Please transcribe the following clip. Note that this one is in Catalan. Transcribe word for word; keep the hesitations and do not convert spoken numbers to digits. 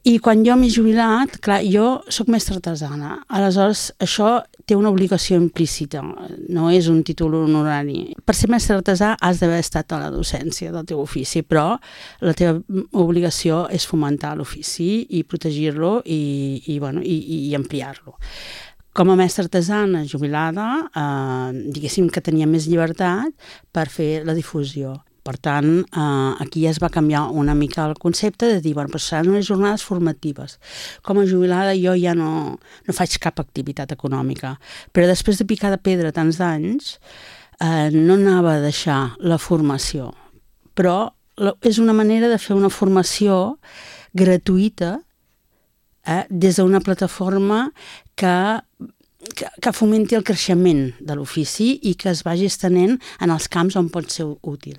I quan jo m'he jubilat, clar, jo sóc mestra artesana, aleshores això té una obligació implícita, no és un títol honorari. Per ser mestre artesà has d'haver estat a la docència del teu ofici, però la teva obligació és fomentar l'ofici i protegir-lo i, i, bueno, i, i ampliar-lo. Com a mestra artesana jubilada, eh, diguéssim que tenia més llibertat per fer la difusió. Per tant, eh, aquí ja es va canviar una mica el concepte de dir, bueno, però seran unes jornades formatives. Com a jubilada jo ja no, no faig cap activitat econòmica, però després de picar de pedra tants anys, eh, no anava a deixar la formació. Però la, és una manera de fer una formació gratuïta eh, des d'una plataforma que Que, que fomenti el creixement de l'ofici i que es vagi estenent en els camps on pot ser útil.